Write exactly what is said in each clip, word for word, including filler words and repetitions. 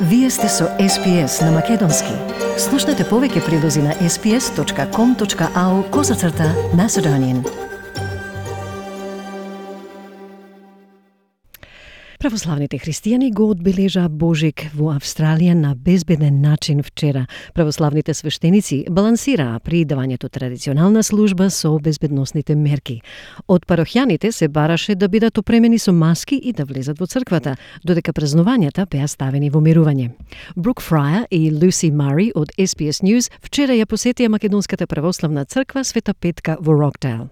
Вие сте со Ес Пи Ес на Македонски. Слушнете повеќе прилози на ес пи ес точка ком точка ау козацрта Macedonian. Православните христијани го одбележа Божик во Австралија на безбеден начин вчера. Православните свештеници балансираа при давањето традиционална служба со безбедносните мерки. Од парохјаните се бараше да бидат опремени со маски и да влезат во црквата, додека празнувањата беа ставени во мирување. Брук Фраја и Луси Мари од Ес Пи Ес News вчера ја посетија Македонската православна црква Света Петка во Роктейл.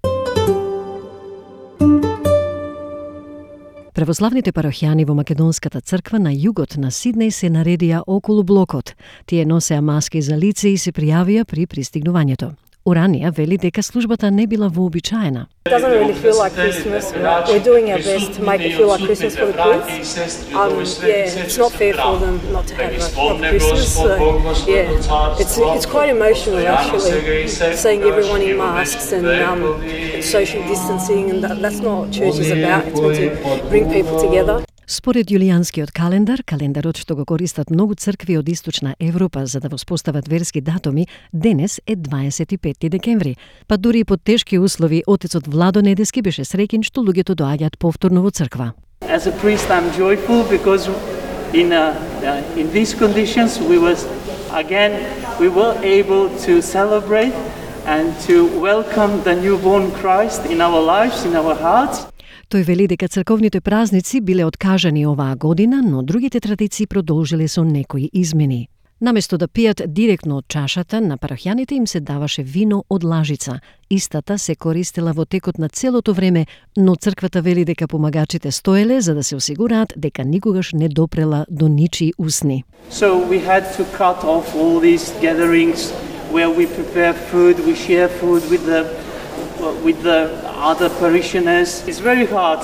Православните парохјани во Македонската црква на југот на Сиднеј се наредија околу блокот. Тие носеа маски за лице и се пријавија при пристигнувањето. Уранија вели дека службата не била вообичаена. It doesn't really feel like Christmas. We're doing our best to make it feel like Christmas for the kids. Um, yeah, it's not fair for them not to have a proper Christmas. So, yeah, it's it's quite emotional actually, seeing everyone in masks and um, social distancing, and that, that's not what church is about. It's meant to bring people together. Според јулијанскиот календар, календарот што го користат многу цркви од Источна Европа за да воспостават верски датуми, денес е дваесет и петти декември. Па дури и под тешки услови, отецот Владо Недески беше среќен што луѓето доаѓаат повторно во црква. As a priest, I'm joyful because in uh, uh, in these conditions we was again we were able to celebrate and to welcome the newborn Christ in our lives, in our hearts. Тој вели дека црковните празници биле откажани оваа година, но другите традиции продолжиле со некои измени. Наместо да пијат директно од чашата, на парохјаните им се даваше вино од лажица. Истата се користела во текот на целото време, но црквата вели дека помагачите стоеле за да се осигураат дека никогаш не допрела до ничии усни. So we had to cut off all these gatherings where we prepare food, we share food with the with the other parishioners. It's very hard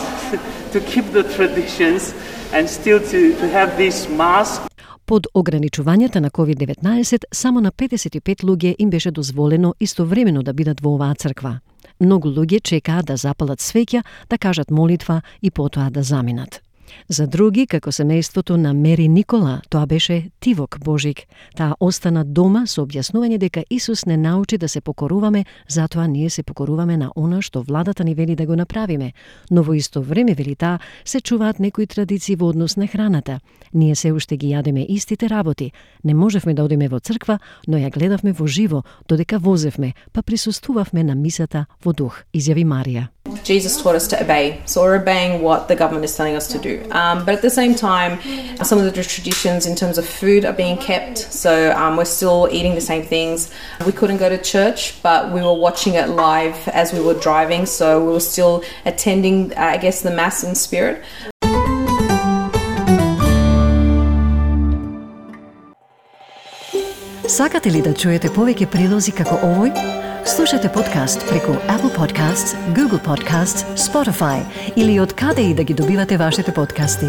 to keep the traditions and still to, to have this mask. Под ограничувањата на ковид деветнаесет, само на петдесет и пет луѓе им беше дозволено истовремено да бидат во оваа црква. Многу луѓе чекаа да запалат свеќа, да кажат молитва и потоа да заминат. За други, како семејството на Мери Никола, тоа беше тивок Божик. Таа остана дома со објаснување дека Исус не научи да се покоруваме, затоа ние се покоруваме на она што владата ни вели да го направиме. Но во исто време, вели таа, се чуваат некои традиции во однос на храната. Ние се уште ги јадеме истите работи. Не можевме да одиме во црква, но ја гледавме во живо, додека возевме, па присуствувавме на мисата во дух, изјави Марија. Jesus taught us to obey, so we're obeying what the government is telling us to do. Um, but at the same time, some of the traditions in terms of food are being kept, so um, we're still eating the same things. We couldn't go to church, but we were watching it live as we were driving, so we were still attending, uh, I guess, the Mass in spirit. Сакате ли да чуете повеќе прилози како овој? Слушате подкаст преку Apple Podcasts, Google Podcasts, Spotify или од каде и да ги добивате вашите подкасти.